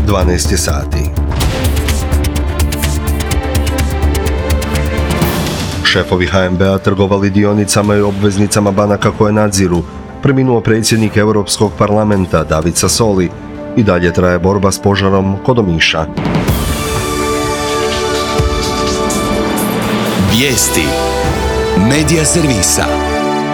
12 je sati. Šefovi HNB-a trgovali dionicama i obveznicama banaka koje nadziru. Preminuo predsjednik Europskog parlamenta David Sassoli. I dalje traje borba s požarom kod Omiša. Vijesti Medija servisa.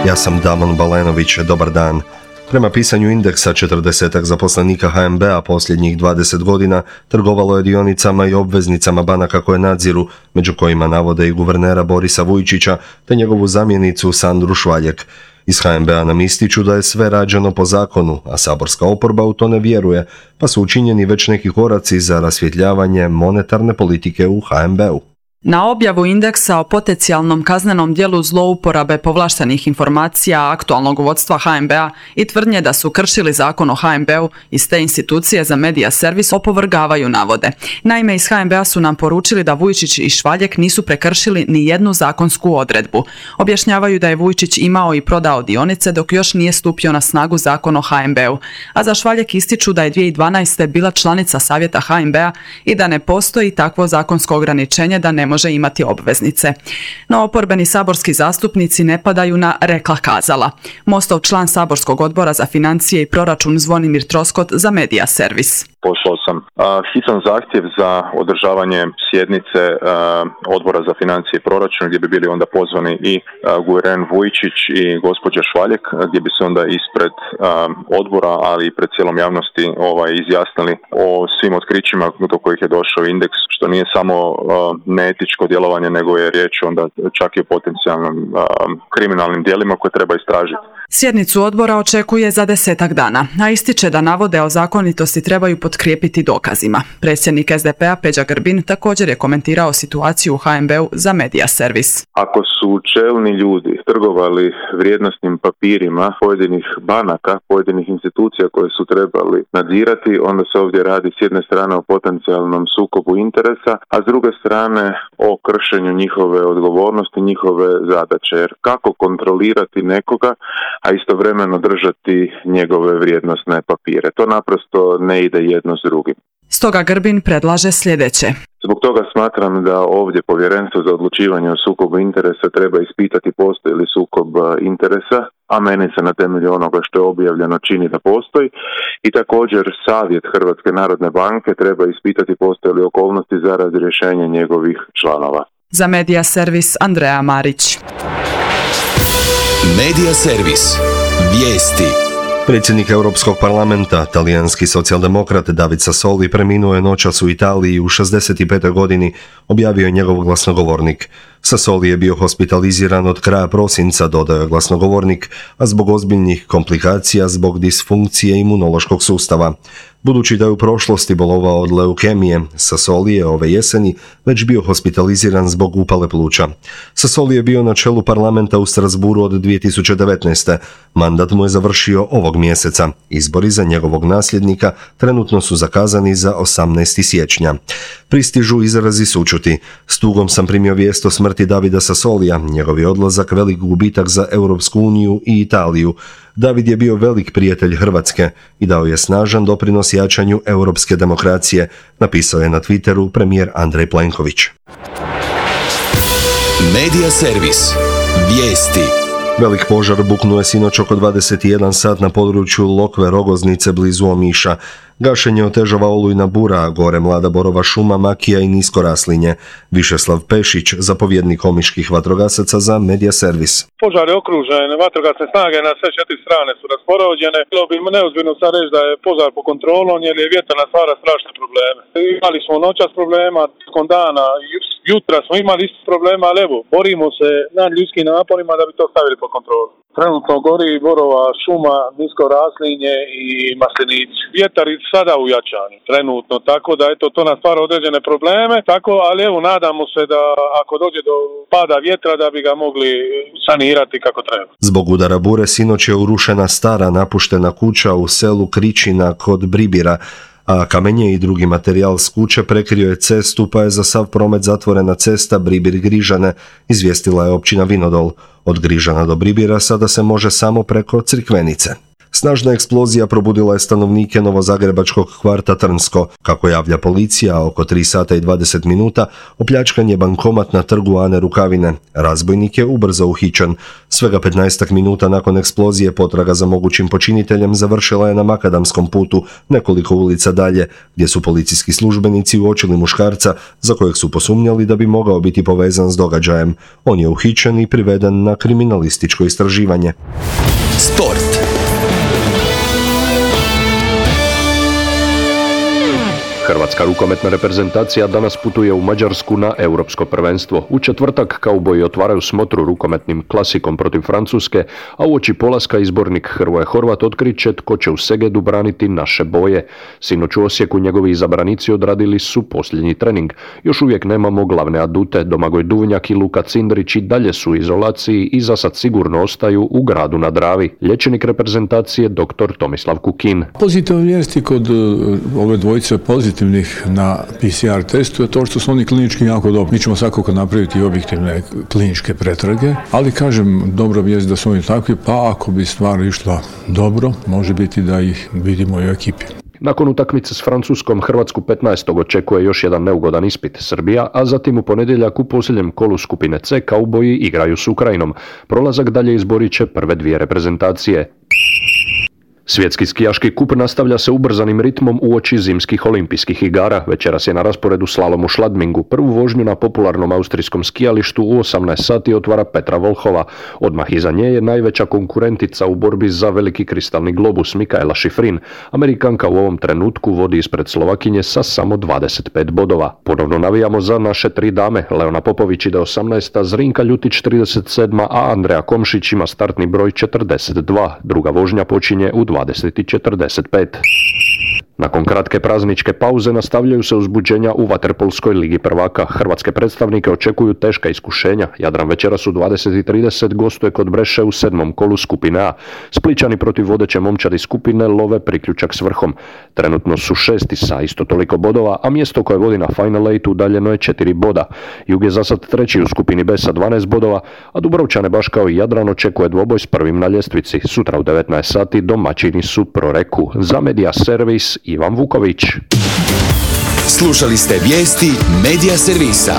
Ja sam Damon Balenović, dobar dan. Prema pisanju indeksa, 40 zaposlenika HNB-a posljednjih 20 godina trgovalo je dionicama i obveznicama banaka koje nadziru, među kojima navode i guvernera Borisa Vujčića te njegovu zamjenicu Sandru Švaljek. Iz HNB-a nam ističu da je sve rađeno po zakonu, a saborska oporba u to ne vjeruje, pa su učinjeni već neki koraci za rasvjetljavanje monetarne politike u HNB-u. Na objavu indeksa o potencijalnom kaznenom djelu zlouporabe povlaštenih informacija aktualnog vodstva HNB-a i tvrdnje da su kršili zakon o HNB-u iz te institucije za medija servis opovrgavaju navode. Naime, iz HNB-a su nam poručili da Vujčić i Švaljek nisu prekršili ni jednu zakonsku odredbu. Objašnjavaju da je Vujčić imao i prodao dionice dok još nije stupio na snagu zakon o HNB-u, a za Švaljek ističu da je 2012. bila članica savjeta HNB-a i da ne postoji takvo zakonsko ograničenje da ne može imati obveznice. No oporbeni saborski zastupnici ne padaju na rekla kazala. Mostov član saborskog odbora za financije i proračun Zvonimir Troskot za medija servis. Poslao sam hitan zahtjev za održavanje sjednice odbora za financije i proračun gdje bi bili onda pozvani i guverner Vujčić i gospođa Švaljek, gdje bi se onda ispred odbora, ali i pred cijelom javnosti izjasnili o svim otkrićima do kojih je došao indeks, što nije samo neetičko djelovanje, nego je riječ onda čak i o potencijalnim kriminalnim djelima koje treba istražiti. Sjednicu odbora očekuje za 10 dana, a ističe da navode o zakonitosti trebaju potkrijepiti dokazima. Predsjednik SDP-a Peđa Grbin također je komentirao situaciju u HNB-u za medija servis. Ako su čelni ljudi trgovali vrijednosnim papirima pojedinih banaka, pojedinih institucija koje su trebali nadzirati, onda se ovdje radi s jedne strane o potencijalnom sukobu interesa, a s druge strane o kršenju njihove odgovornosti, njihove zadaće. Jer kako kontrolirati nekoga, a istovremeno držati njegove vrijednosne papire? To naprosto ne ide jedno s drugim. Stoga Grbin predlaže sljedeće. Zbog toga smatram da ovdje Povjerenstvo za odlučivanje o sukobu interesa treba ispitati postoji li sukob interesa, a meni se na temelju onoga što je objavljeno čini da postoji. I također Savjet Hrvatske narodne banke treba ispitati postoje li okolnosti za razrješenje njegovih članova. Za medija servis Andreja Marić. Medija servis. Vijesti. Predsjednik Europskog parlamenta, talijanski socijaldemokrat David Sassoli, preminuo je noćas u Italiji u 65. godini, objavio je njegov glasnogovornik. Sassoli je bio hospitaliziran od kraja prosinca, dodao je glasnogovornik, a zbog ozbiljnih komplikacija zbog disfunkcije imunološkog sustava. Budući da je u prošlosti bolovao od leukemije, Sassoli je ove jeseni već bio hospitaliziran zbog upale pluća. Sassoli je bio na čelu parlamenta u Strasburu od 2019. Mandat mu je završio ovog mjeseca. Izbori za njegovog nasljednika trenutno su zakazani za 18. siječnja. Pristižu izrazi sućuti. S tugom sam primio vijest o smrti Davida Sassolija, njegov je odlazak velik gubitak za Europsku uniju i Italiju. David je bio velik prijatelj Hrvatske i dao je snažan doprinos jačanju europske demokracije, napisao je na Twitteru premijer Andrej Plenković. Medija servis. Vijesti. Velik požar buknuo je sinoć oko 21 sat na području Lokve Rogoznice blizu Omiša. Gašenje otežava olujna bura, gore mlada borova šuma, makija i nisko raslinje. Višeslav Pešić, zapovjednik omiških vatrogasaca za medija servis. Požar je okružen, vatrogasne snage na sve 4 strane su raspoređene. Bilo bi neozbiljno sad reći da je požar pod kontrolom jer je vjetar stvara strašne probleme. Imali smo noćas problema, tijekom dana, jutra smo imali isti problema, ali evo, borimo se nad ljudskim naporima da bi to stavili pod kontrolu. Trenutno gori borova šuma, nisko raslinje i maslinici. Vjetar je sada ujačan, trenutno, tako da eto, to nas stvara određene probleme, tako, ali evo, nadamo se da ako dođe do pada vjetra da bi ga mogli sanirati kako treba. Zbog udara bure sinoć je urušena stara napuštena kuća u selu Kričina kod Bribira, a kamenje i drugi materijal s kuće prekrio je cestu, pa je za sav promet zatvorena cesta Bribir-Grižane, izvijestila je općina Vinodol. Od Grižana do Bribira sada se može samo preko Crikvenice. Snažna eksplozija probudila je stanovnike novozagrebačkog kvarta Trnsko. Kako javlja policija, oko 3 sata i 20 minuta opljačkan je bankomat na trgu Ane Rukavine. Razbojnik je ubrzo uhićen. Svega 15 minuta nakon eksplozije potraga za mogućim počiniteljem završila je na Makadamskom putu, nekoliko ulica dalje, gdje su policijski službenici uočili muškarca za kojeg su posumnjali da bi mogao biti povezan s događajem. On je uhićen i priveden na kriminalističko istraživanje. Sport. Hrvatska rukometna reprezentacija danas putuje u Mađarsku na europsko prvenstvo. U četvrtak kauboji otvaraju smotru rukometnim klasikom protiv Francuske, a uoči polaska izbornik Hrvoje Horvat otkriće tko će u Segedu braniti naše boje. Sinoć u Osijeku njegovi izabranici odradili su posljednji trening. Još uvijek nemamo glavne adute. Domagoj Duvnjak i Luka Cindrić i dalje su u izolaciji i za sad sigurno ostaju u Gradu na Dravi. Liječnik reprezentacije dr. Tomislav Kukin. Pozitivne vijesti kod ove dvojice pozitivnih na PCR testu je to što su oni klinički jako dobri. Mi ćemo svakako napraviti objektivne kliničke pretrage, ali kažem, dobra vijest da su oni takvi, pa ako bi stvar išla dobro, može biti da ih vidimo i u ekipi. Nakon utakmice s Francuskom, Hrvatsku 15. očekuje još jedan neugodan ispit Srbija, a zatim u ponedjeljak u posljednjem kolu skupine C kauboji igraju s Ukrajinom. Prolazak dalje izborit će prve dvije reprezentacije. Svjetski skijaški kup nastavlja se ubrzanim ritmom uoči zimskih olimpijskih igara. Večeras je na rasporedu slalom u Šladmingu. Prvu vožnju na popularnom austrijskom skijalištu u 18 sati otvara Petra Volhova. Odmah iza nje je najveća konkurentica u borbi za veliki kristalni globus Mikaela Šifrin. Amerikanka u ovom trenutku vodi ispred Slovakinje sa samo 25 bodova. Ponovno navijamo za naše tri dame. Leona Popović ide 18. Zrinka Ljutić 37. a Andreja Komšić ima startni broj 42. Druga vožnja počinje u 20:45. Nakon kratke prazničke pauze nastavljaju se uzbuđenja u vaterpolskoj ligi prvaka. Hrvatske predstavnike očekuju teška iskušenja. Jadran večeras u 20:30 gostuje kod Breše u 7. kolu skupine A. Splićani protiv vodeće momčadi skupine love priključak s vrhom. Trenutno su 6. sa isto toliko bodova, a mjesto koje vodi na Final 8 udaljeno je 4 boda. Jug je za sad 3. u skupini B sa 12 bodova, a Dubrovčane baš kao i Jadran očekuje dvoboj s prvim na ljestvici. Sutra u 19 sati domaćini su Proreku. Za Media Servis Ivan Vuković. Slušali ste vijesti Media Servisa.